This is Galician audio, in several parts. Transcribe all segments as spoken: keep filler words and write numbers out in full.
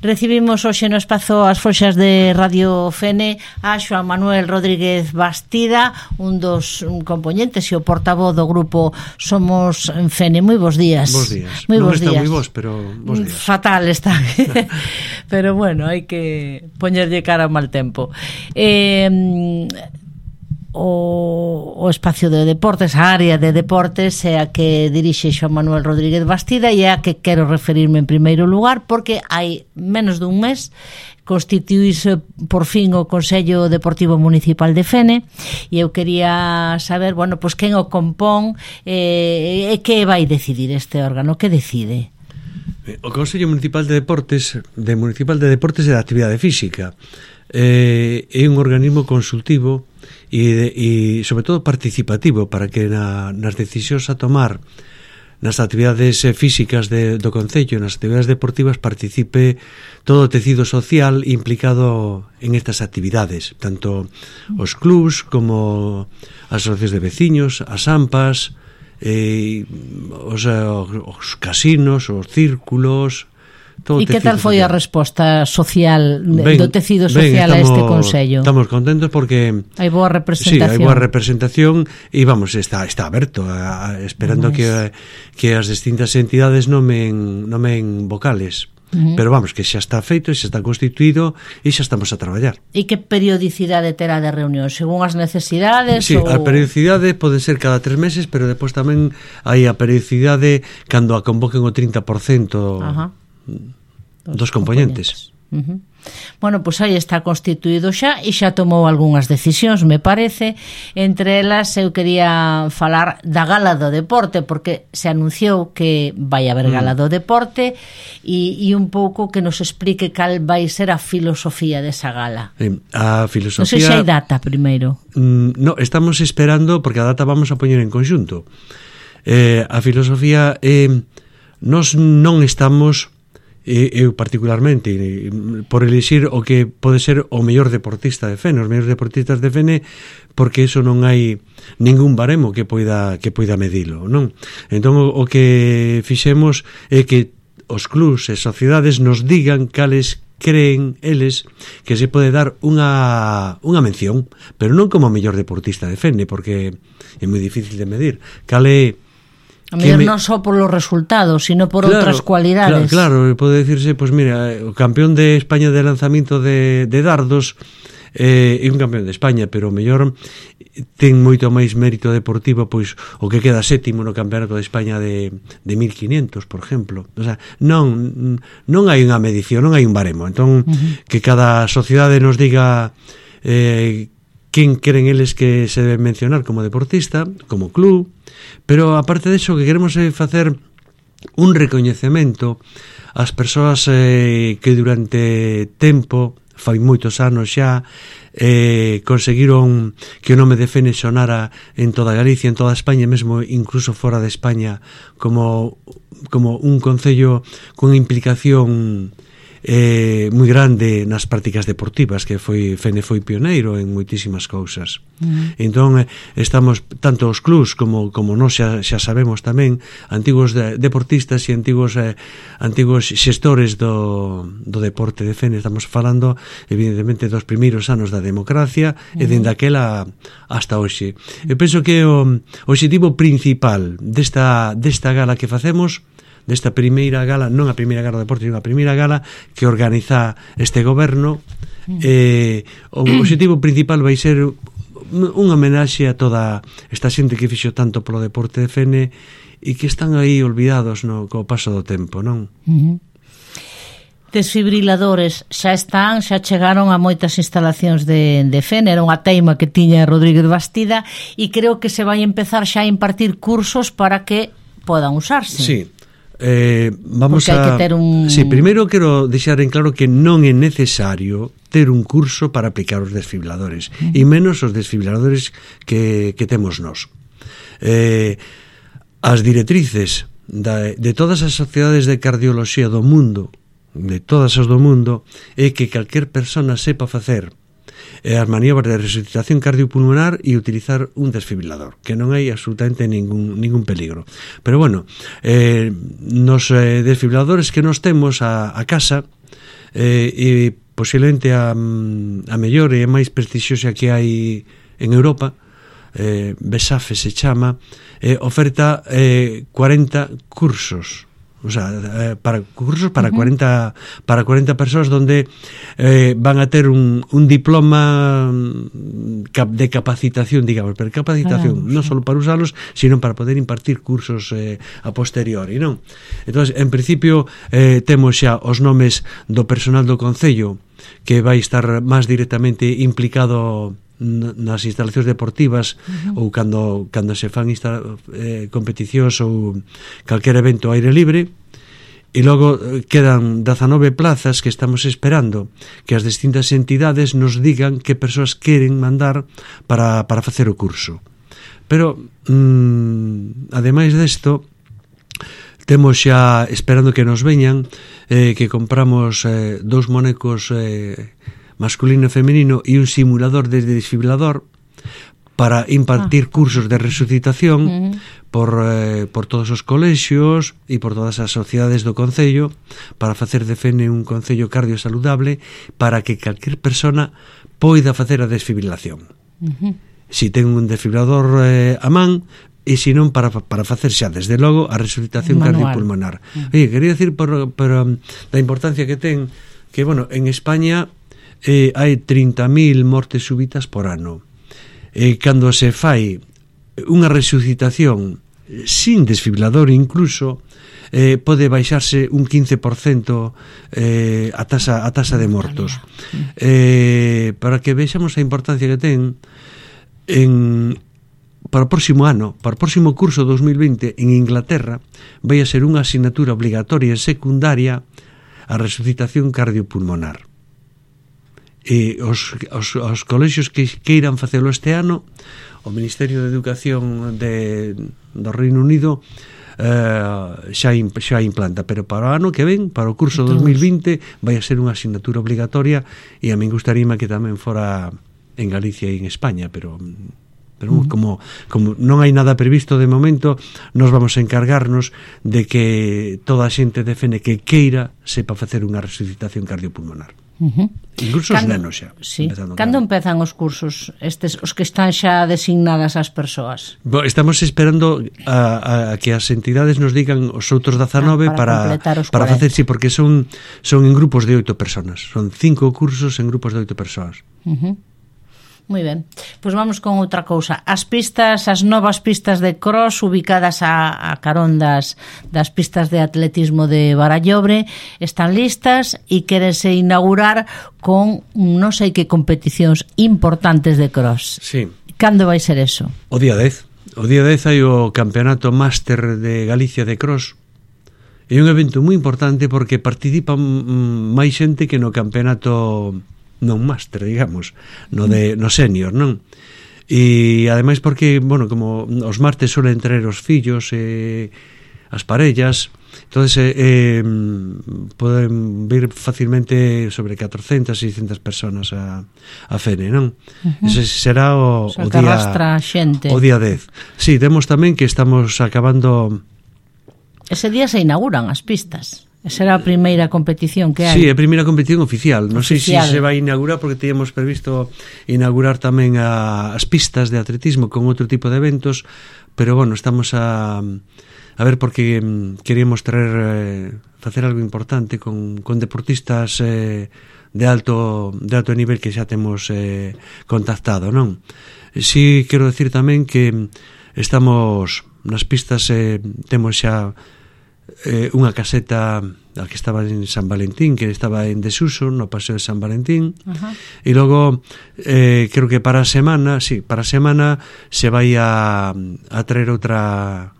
Recibimos hoxe no espazo as foxas de Radio Fene a Xoán Manuel Rodríguez Bastida, un dos componentes e o portavoz do grupo Somos Fene. Moi bons días. Bos días. Moi non bons está días. moi bons, pero bos días. Fatal está. Pero bueno, hai que poñerlle cara ao mal tempo. Eh... O, o espacio de deportes, a área de deportes é a que dirixe Xoán Manuel Rodríguez Bastida e é a que quero referirme en primeiro lugar porque hai menos dun mes constituíse por fin o Consello Deportivo Municipal de Fene e eu quería saber, bueno, pois quen o compón e eh, que vai decidir este órgano, que decide? O Consello Municipal de Deportes de Municipal de Deportes e de Actividade Física eh, é un organismo consultivo e, de, e sobre todo participativo para que na, nas decisións a tomar nas actividades físicas de, do Concello, nas actividades deportivas, participe todo o tecido social implicado en estas actividades, tanto os clubs como as asociacións de veciños, as AMPAs, eh, os, os casinos, os círculos. E que tal foi a resposta social ben, do tecido social ben, estamos, a este Consello? Estamos contentos porque hai boa representación. Sí, hai boa representación e vamos, está está aberto a, a, esperando que que as distintas entidades nomen nomen vocales. Uh -huh. Pero vamos, que xa está feito, xa está constituído e xa estamos a traballar. E que periodicidade terá de reunión? Según as necesidades? Sí, ou... a periodicidade pode ser cada tres meses, pero depois tamén hai a periodicidade cando a convoquen o trinta por cento uh -huh. dos componentes. Uh -huh. Bueno, pois aí está constituído xa e xa tomou algunhas decisións, me parece. Entre elas eu quería falar da Gala do Deporte, porque se anunciou que vai haber Gala do Deporte e, e un pouco que nos explique cal vai ser a filosofía desa gala. A filosofía... Non sei se hai data primeiro. Mm, no, estamos esperando, porque a data vamos a poñer en conxunto. Eh, a filosofía eh, nos non estamos... eu particularmente por elixir o que pode ser o mellor deportista de Fene, os mellores deportistas de Fene, porque eso non hai ningún baremo que poida que poida medilo, non? Entón o, o que fixemos é que os clubs e sociedades nos digan cales creen eles que se pode dar unha unha mención, pero non como o mellor deportista de Fene, porque é moi difícil de medir. Cale a mellor me... non só por los resultados, sino por claro, outras cualidades. Claro, claro, pode decirse, pois pues mira, o campeón de España de lanzamiento de, de dardos eh, é un campeón de España, pero o mellor ten moito máis mérito deportivo pois o que queda sétimo no campeonato de España de, de mil quinientos, por exemplo. O sea, non, non hai unha medición, non hai un baremo. Entón, uh -huh. que cada sociedade nos diga eh, quen queren eles que se deben mencionar como deportista, como club, pero aparte disso que queremos é facer un recoñecemento ás persoas eh, que durante tempo, fai moitos anos xa, eh, conseguiron que o nome de Fene sonara en toda Galicia, en toda España, mesmo incluso fora de España, como, como un concello con implicación eh, moi grande nas prácticas deportivas, que foi Fene foi pioneiro en moitísimas cousas. Mm. Entón estamos tanto os clubs como como nós xa, xa sabemos tamén, antigos de, deportistas e antigos eh, antigos xestores do, do deporte de Fene. Estamos falando evidentemente dos primeiros anos da democracia mm. e dende aquela hasta hoxe. Eu penso que o, o objetivo principal desta, desta gala que facemos, desta primeira gala, non a primeira gala do deporte, sino a primeira gala que organiza este goberno, eh, o objetivo principal vai ser unha homenaxe a toda esta xente que fixo tanto polo deporte de Fene e que están aí olvidados no, co paso do tempo, non? Uh -huh. Desfibriladores xa están, xa chegaron a moitas instalacións de, de Fene, era unha teima que tiña Rodríguez Bastida e creo que se vai empezar xa a impartir cursos para que podan usarse. Sí. Eh, vamos Porque hai a... que ter un... Sí, primeiro quero deixar en claro que non é necesario ter un curso para aplicar os desfibriladores, uh -huh. e menos os desfibriladores que, que temos nós. Eh, as directrices da, de todas as sociedades de cardioloxía do mundo, de todas as do mundo, é que calquer persona sepa facer e as maniobras de resucitación cardiopulmonar e utilizar un desfibrilador, que non hai absolutamente ningún, ningún peligro. Pero bueno, eh, nos eh, desfibriladores que nos temos a, a casa, eh, e posiblemente a, a mellor e a máis prestixiosa que hai en Europa, eh, BESAFE se chama, eh, oferta eh, cuarenta cursos, o sea, eh, para cursos para uh-huh. cuarenta para cuarenta persoas donde eh, van a ter un, un diploma de capacitación, digamos, pero capacitación ah, non só para usarlos, sino para poder impartir cursos eh, a posteriori, non? Entonces, en principio eh, temos xa os nomes do personal do Concello que vai estar máis directamente implicado nas instalacións deportivas uh-huh. ou cando, cando se fan insta, eh, competicións ou calquer evento ao aire libre, e logo quedan dezanove plazas que estamos esperando que as distintas entidades nos digan que persoas queren mandar para, para facer o curso. Pero mmm, ademais desto, temos xa esperando que nos veñan eh, que compramos eh, dous monecos eh, masculino e femenino e un simulador de desfibrilador para impartir ah. cursos de resucitación uh-huh. por, eh, por todos os colexios e por todas as sociedades do Concello, para facer de Fene un Concello cardiosaludable, para que calquer persona poida facer a desfibrilación. Uh-huh. Si ten un desfibrilador eh, a man, e se non para, para facer xa desde logo a resucitación manual. Cardiopulmonar. Uh-huh. Oye, quería decir por, por um, da importancia que ten que, bueno, en España Eh, hai trinta mil mortes súbitas por ano. Eh, cando se fai unha resucitación sin desfibrilador incluso, eh, pode baixarse un quince por cento eh, a tasa, a tasa de mortos. Eh, para que vexamos a importancia que ten en, para o próximo ano, para o próximo curso dos mil vinte en Inglaterra, vai a ser unha asignatura obligatoria e secundaria a resucitación cardiopulmonar. E os, os, os colexios que queiran facelo este ano, o Ministerio de Educación de, do Reino Unido eh, xa, xa implanta, pero para o ano que ven, para o curso dos mil vinte, vai a ser unha asignatura obligatoria, e a min gustaríame que tamén fora en Galicia e en España, pero pero uh-huh. como, como non hai nada previsto de momento, nos vamos a encargarnos de que toda a xente de Fene que queira sepa facer unha resucitación cardiopulmonar. Uh-huh. Incluso os nenos xa. Sí. Cando empezan os cursos estes, os que están xa designadas as persoas? Bo, estamos esperando a, a que as entidades nos digan os outros dezanove ah, para, para, para facer, sí, porque son, son en grupos de oito personas, son cinco cursos en grupos de oito persoas. Uh-huh. Moi ben, pois vamos con outra cousa. As pistas, as novas pistas de cross ubicadas a, a carón das, das pistas de atletismo de Barallobre están listas e quérense inaugurar con non sei que competicións importantes de cross. Sí. Cando vai ser eso? O día dez. O día dez hai o Campeonato Máster de Galicia de Cross. É un evento moi importante porque participan máis xente que no campeonato non máster, digamos, no de no senior, non? E ademais porque, bueno, como os martes suelen traer os fillos e as parellas, entonces eh, eh, poden vir facilmente sobre catrocentas, seiscentas personas a, a Fene, non? Uh-huh. Ese será o, o, o día xente. O día dez. Sí, temos tamén que estamos acabando. Ese día se inauguran as pistas. Esa era a primeira competición que hai. Sí, a primeira competición oficial. Non sei se Oficial. si se vai inaugurar, porque teníamos previsto inaugurar tamén a, as pistas de atletismo con outro tipo de eventos, pero bueno, estamos a a ver, porque mm, queríamos traer eh, facer algo importante con, con deportistas eh, de alto de alto nivel que xa temos eh, contactado, non? Si quero decir tamén que estamos nas pistas, eh, temos xa Eh, unha caseta a que estaba en San Valentín, que estaba en desuso no Paseo de San Valentín. Uh-huh. E logo eh, creo que para a semana, sí, para a semana se vai a, a traer outra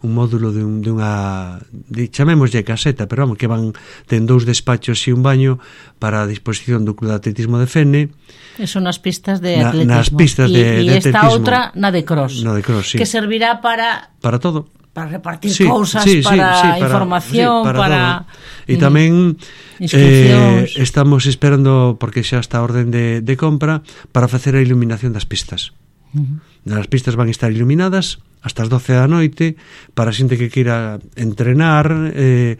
un módulo de, un, de unha de, chamémoslle caseta, pero vamos, que van ten dous despachos e un baño para a disposición do Club de Atletismo de Fene. Eso nas pistas de atletismo. Na, nas pistas de, e, de atletismo. E esta outra na de cross. Na de cross, sí. Que servirá para para todo. Para repartir sí, cousas, sí, para, sí, sí, para información, sí, para, para... E tamén eh, estamos esperando, porque xa está a orden de, de compra, para facer a iluminación das pistas. Uh-huh. As pistas van estar iluminadas hasta as doce da noite, para xente que queira entrenar, eh,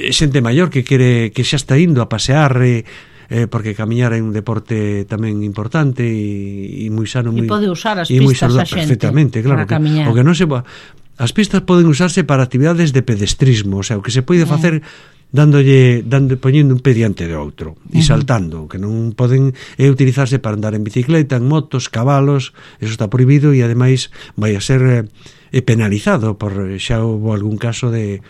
xente maior que quere que xa está indo a pasear, eh, eh, porque camiñar é un deporte tamén importante e, e moi sano, e moi, pode usar as e moi pistas a saludable, xente perfectamente, claro, para camiñar. O que non se as pistas poden usarse para actividades de pedestrismo, o sea, o que se pode facer dándolle, dando, poñendo un pé diante de outro e saltando, que non poden é utilizarse para andar en bicicleta, en motos, cabalos, eso está prohibido e ademais vai a ser eh, penalizado por xa houve algún caso de,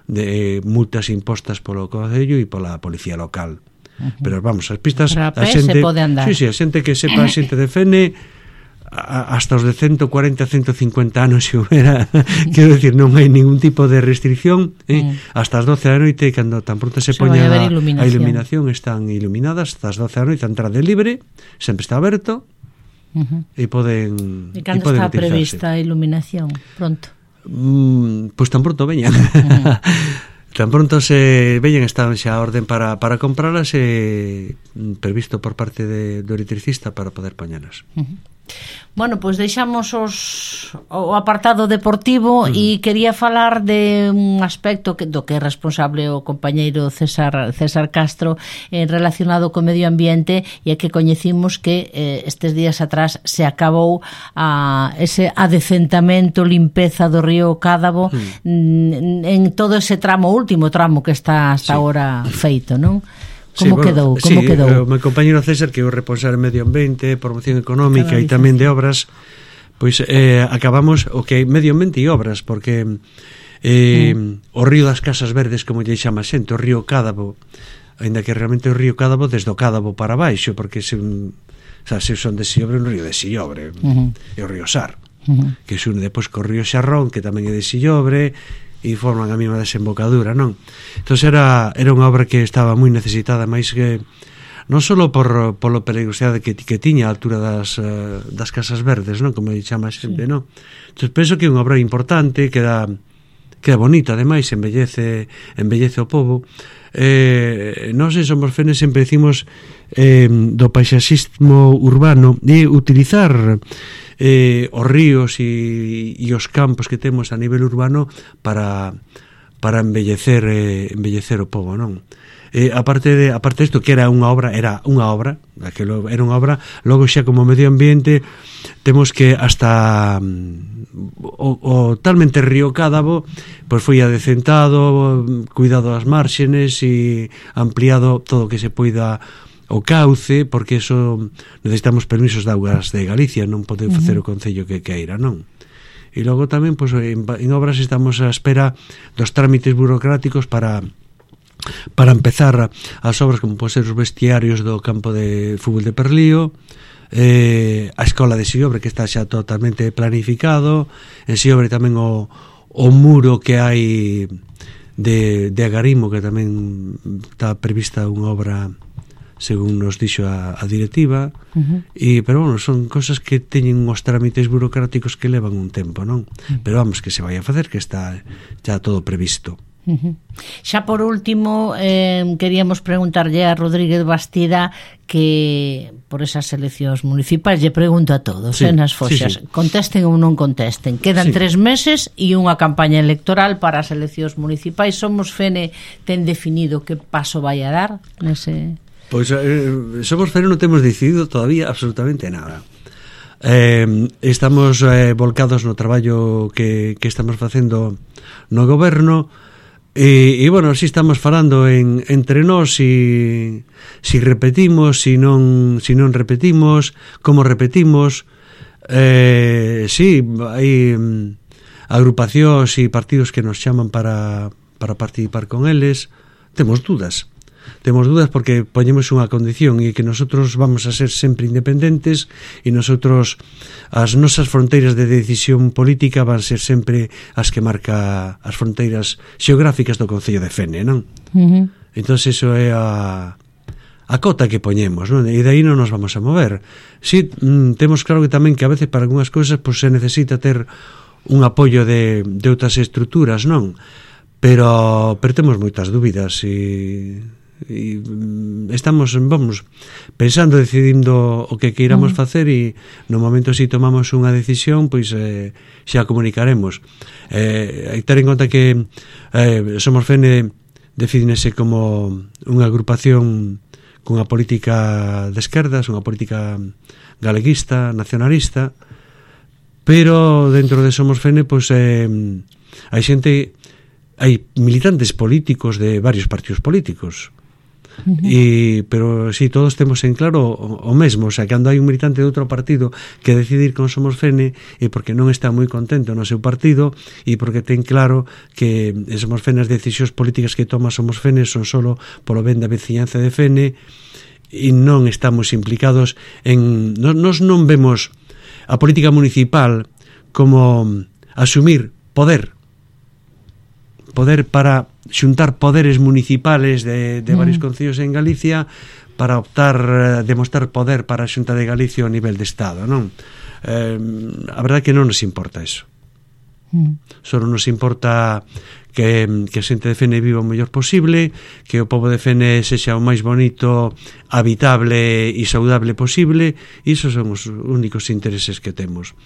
de multas impostas polo Concello e pola policía local. Uh-huh. Pero vamos, as pistas a, a xente, se pode andar. Sí, sí, a xente que sepa, a xente de Fene hasta os de ciento cuarenta, ciento cincuenta anos se houbera, quero decir, non hai ningún tipo de restricción, eh? mm. hasta as doce da noite, cando tan pronto se, se poña a, a iluminación, están iluminadas hasta as doce da noite, a entrada é libre, sempre está aberto, uh-huh. e poden e cando está utilizarse. Prevista a iluminación? Pronto? Mm, pois pues tan pronto veñan. Uh-huh. Tan pronto se veñen, están xa a orden para, para compralas e previsto por parte de, do electricista para poder poñelas. Uh-huh. Bueno, pois pues deixamos os, o apartado deportivo mm. e quería falar de un aspecto que, do que é responsable o compañeiro César, César Castro eh, relacionado co medio ambiente, e é que coñecimos que eh, estes días atrás se acabou a, ese adecentamento, limpeza do río Cádabo mm. en todo ese tramo, último tramo que está hasta sí. agora feito, non? Como sí, quedou? Como sí, quedou? O meu compañero César, que é o responsable de medio ambiente, promoción económica e tamén de obras, pois eh, acabamos o que é medio ambiente e obras, porque eh, mm. o río das Casas Verdes, como lle chama xente, o río Cádabo, ainda que realmente o río Cádabo desde o Cádabo para baixo, porque se, o sea, se son de Sillobre, un río de Sillobre, uh-huh. e o río Sar, uh-huh. que se une depois co río Xarrón, que tamén é de Sillobre, e forman a mesma desembocadura, non? Entón era, era unha obra que estaba moi necesitada, máis que non só por polo peligrosidade que, que tiña a altura das, uh, das Casas Verdes, non? Como chama sempre, sí. non? Entón penso que é unha obra importante, que era, que é bonita, ademais, embellece, embellece o pobo. Eh, nós en Somos Fenes sempre decimos eh, do paisaxismo urbano e utilizar eh, os ríos e, e os campos que temos a nivel urbano para, para embellecer eh, embellecer o pobo, non? Eh, aparte de aparte isto que era unha obra, era unha obra, que lo, era unha obra, logo xa como medio ambiente temos que hasta o, o talmente río Cádabo pois foi adecentado, cuidado as márxenes e ampliado todo o que se poida o cauce, porque eso necesitamos permisos de augas de Galicia, non pode facer o concello que queira, non? E logo tamén, pois, en, en obras estamos á espera dos trámites burocráticos para para empezar as obras como pode ser os vestiarios do campo de fútbol de Perlío, eh, a escola de Sillobre, que está xa totalmente planificado, en Sillobre tamén o, o muro que hai de, de Agarimo, que tamén está prevista unha obra según nos dixo a, a directiva, uh-huh. e, pero bueno, son cosas que teñen uns trámites burocráticos que levan un tempo, non? Uh-huh. Pero vamos, que se vai a facer, que está xa todo previsto. Uh-huh. Xa por último eh, queríamos preguntarlle a Rodríguez Bastida que por esas eleccións municipais, lle pregunto a todos, sí, eh, nas foxas, sí, sí. contesten ou non contesten, quedan sí. tres meses e unha campaña electoral para as eleccións municipais. Somos Fene ten definido que paso vai a dar nese... Pois eh, Somos Fene non temos decidido todavía absolutamente nada. Eh, estamos eh, volcados no traballo que, que estamos facendo no goberno. E, e bueno, así estamos falando en, entre nós si, si repetimos, si non, si non repetimos, como repetimos. Eh, sí, hai um, agrupacións e partidos que nos chaman para, para participar con eles. Temos dúdas. Temos dúdas porque poñemos unha condición e que nosotros vamos a ser sempre independentes e nosotros as nosas fronteiras de decisión política van ser sempre as que marca as fronteiras xeográficas do Concello de Fene, non? Uh-huh. Entón, eso é a, a cota que poñemos, non? E de aí non nos vamos a mover. Si, sí, temos claro que tamén que a veces para algunhas cousas pues, se necesita ter un apoio de, de outras estruturas, non? Pero, pero temos moitas dúbidas e... e estamos, vamos, pensando, decidindo o que queiramos uh -huh. facer, e no momento si tomamos unha decisión, pois eh, xa comunicaremos. Eh, hai que ter en conta que eh, Somos Fene definese como unha agrupación cunha política de esquerdas, unha política galeguista, nacionalista, pero dentro de Somos Fene, pois eh, hai xente, hai militantes políticos de varios partidos políticos. Uh -huh. E, pero si sí, todos temos en claro o, o mesmo, o sea, cando hai un militante de outro partido que decide ir con Somos Fene é porque non está moi contento no seu partido e porque ten claro que Somos Fene, as decisións políticas que toma Somos Fene son solo polo ben da veciñanza de Fene, e non estamos implicados en... Nos, nos non vemos a política municipal como asumir poder poder para xuntar poderes municipales de, de varios mm. concellos en Galicia para optar, demostrar poder para a Xunta de Galicia ao nivel de Estado, non? Eh, a verdade é que non nos importa eso. Mm. Só nos importa que, que a xente de Fene viva o mellor posible, que o pobo de Fene sexa o máis bonito, habitable e saudable posible, e iso son os únicos intereses que temos.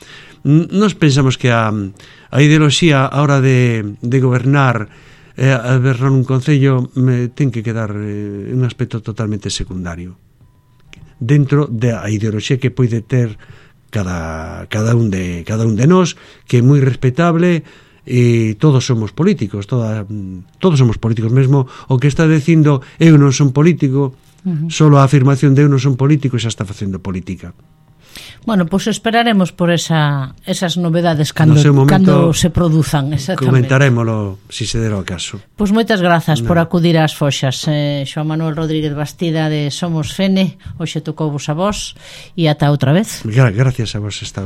Nos pensamos que a, a ideoloxía a hora de, de gobernar, eh, a gobernar un concello, me, ten que quedar eh, un aspecto totalmente secundario dentro da ideoloxía que pode ter cada, cada un de cada un de nós, que é moi respetable, e todos somos políticos, toda, todos somos políticos. Mesmo o que está dicindo eu non son político, uh -huh. solo a afirmación de eu non son político xa está facendo política. Bueno, pois pues esperaremos por esa, esas novedades cando, cando se produzan, exactamente. Comentarémolo se si se dera o caso. Pois pues moitas grazas no. por acudir ás foxas, eh, Xoán Manuel Rodríguez Bastida de Somos Fene. Hoxe tocou vos a vos e ata outra vez. Gra Gracias a vos esta